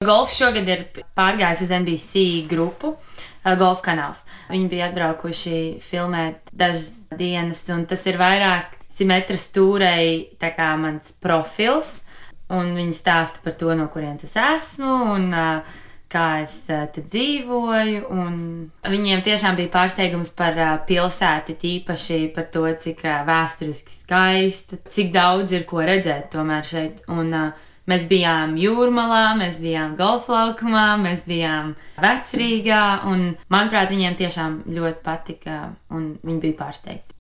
Golfs šogad ir pārgājis uz NBC grupu, Golf kanāls. Viņi bija atbraukuši filmēt dažas dienas, un tas ir vairāk Simetra stūrei tā kā mans profils, un viņi stāsta par to, no kurienes es esmu, un kā es te dzīvoju, un viņiem tiešām bija pārsteigums par pilsētu, tīpaši par to, cik vēsturiski skaista, cik daudz ir ko redzēt tomēr šeit, un mēs bijām Jūrmalā, mēs bijām golflaukumā, mēs bijām Vecrīgā, un manuprāt, viņiem tiešām ļoti patika, un viņi bija pārsteigti.